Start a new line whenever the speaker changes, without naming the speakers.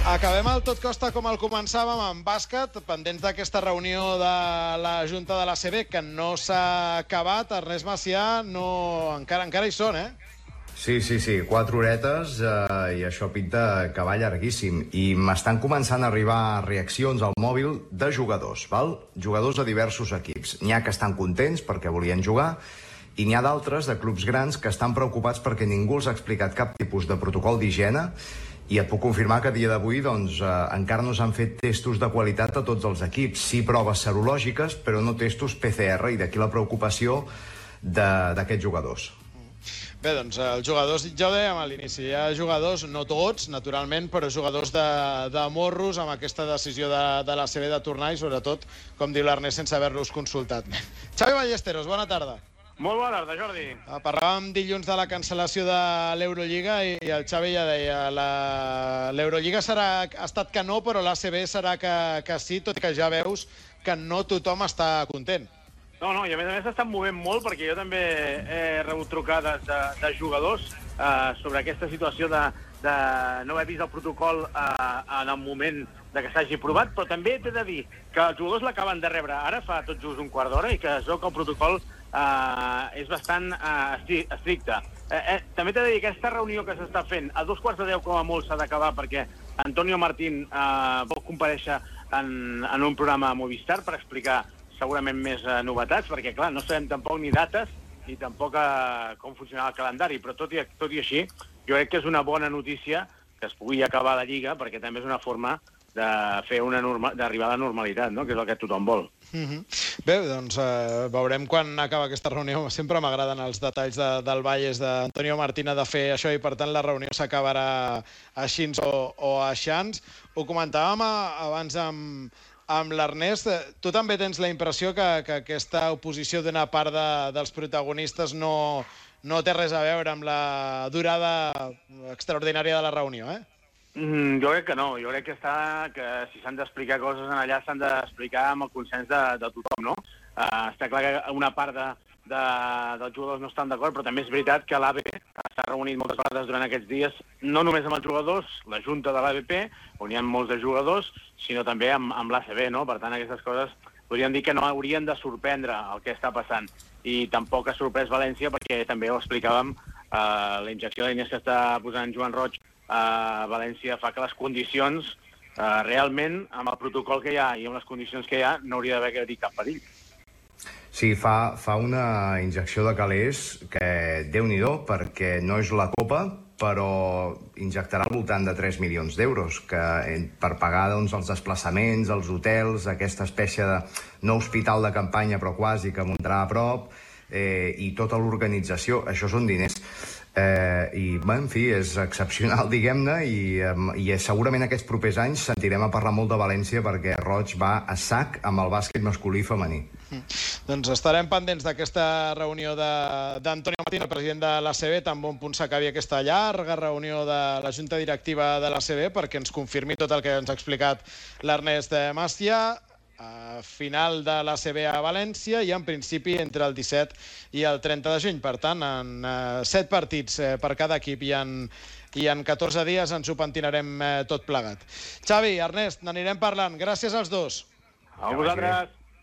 Acabem el tot costa com el començàvem, amb bàsquet, pendents d'aquesta reunió de la Junta de l'ACB, que no s'ha acabat. Ernest Macià, encara hi són, eh?
Sí, 4 horetes i això pinta que va llarguíssim. I m'estan començant a arribar reaccions al mòbil de jugadors, val? Jugadors de diversos equips. N'hi ha que estan contents perquè volien jugar i n'hi ha d'altres, de clubs grans, que estan preocupats perquè ningú els ha explicat cap tipus de protocol d'higiene. I et puc confirmar que a dia d'avui encara no s'han fet testos de qualitat a tots els equips. Sí, proves serològiques, però no testos PCR, i d'aquí la preocupació d'aquests jugadors.
Bé, doncs els jugadors, ja ho dèiem a l'inici, hi ha jugadors, no tots, naturalment, però jugadors de morros amb aquesta decisió de l'ACB de tornar i, sobretot, com diu l'Ernest, sense haver-los consultat. Xavi Ballesteros, bona tarda.
Molt bona tarda, Jordi.
Parlàvem dilluns de la cancel·lació de l'Eurolliga i el Xavi ja deia l'Eurolliga ha estat que no, però l'ACB serà que sí, tot i que ja veus que no tothom està content.
No, i a més s'estan movent molt perquè jo també he rebut trucades de jugadors sobre aquesta situació de no haver vist el protocol en el moment que s'hagi provat, però també t'he de dir que els jugadors l'acaben de rebre ara fa tot just un quart d'hora i que es veu que el protocol és bastant estricte. També t'he de dir que aquesta reunió que s'està fent a 2:15 com a molt s'ha d'acabar perquè Antonio Martín vol comparèixer en un programa a Movistar per explicar segurament més novetats, perquè clar, no sabem tampoc ni dates ni tampoc com funcionarà el calendari, però tot i així jo crec que és una bona notícia que es pugui acabar la Lliga, perquè també és una forma d'arribar a la normalitat, no? Que és el que tothom vol.
Bé, doncs veurem quan acaba aquesta reunió. Sempre m'agraden els detalls del Valles d'Antonio Martín de fer això i, per tant, la reunió s'acabarà així o aixans. Ho comentàvem abans amb l'Ernest. Tu també tens la impressió que aquesta oposició d'una part dels protagonistes no té res a veure amb la durada extraordinària de la reunió, eh?
Jo crec que no. Jo crec que si s'han d'explicar coses allà s'han d'explicar amb el consens de tothom, no? Està clar que una part dels jugadors no estan d'acord, però també és veritat que l'ABP s'ha reunit moltes vegades durant aquests dies, no només amb els jugadors, la junta de l'ABP, on hi ha molts de jugadors, sinó també amb l'ACB, no? Per tant, aquestes coses podríem dir que no haurien de sorprendre el que està passant. I tampoc ha sorprès València, perquè també ho explicàvem, la injecció de diners que està posant Joan Roig a València fa que les condicions, realment, amb el protocol que hi ha i amb les condicions que hi ha, no hauria d'haver cap perill.
Sí, fa una injecció de calés que, Déu-n'hi-do, perquè no és la Copa, però injectarà al voltant de 3 milions d'euros per pagar els desplaçaments, els hotels, aquesta espècie de no hospital de campanya, però quasi, que muntarà a prop, i tota l'organització. Això són diners. I, en fi, és excepcional, diguem-ne, i segurament aquests propers anys sentirem a parlar molt de València perquè Roig va a sac amb el bàsquet masculí i femení.
Doncs estarem pendents d'aquesta reunió d'Antonio Martín, el president de l'ACB, tan bon punt s'acabi aquesta llarga reunió de la Junta Directiva de l'ACB, perquè ens confirmi tot el que ens ha explicat l'Ernest Macià. Final de l'ACB a València i en principi entre el 17 i el 30 de juny. Per tant, en 7 partits per cada equip i en 14 dies ens ho pentinarem tot plegat. Xavi, Ernest, n'anirem parlant. Gràcies als dos.
A vosaltres.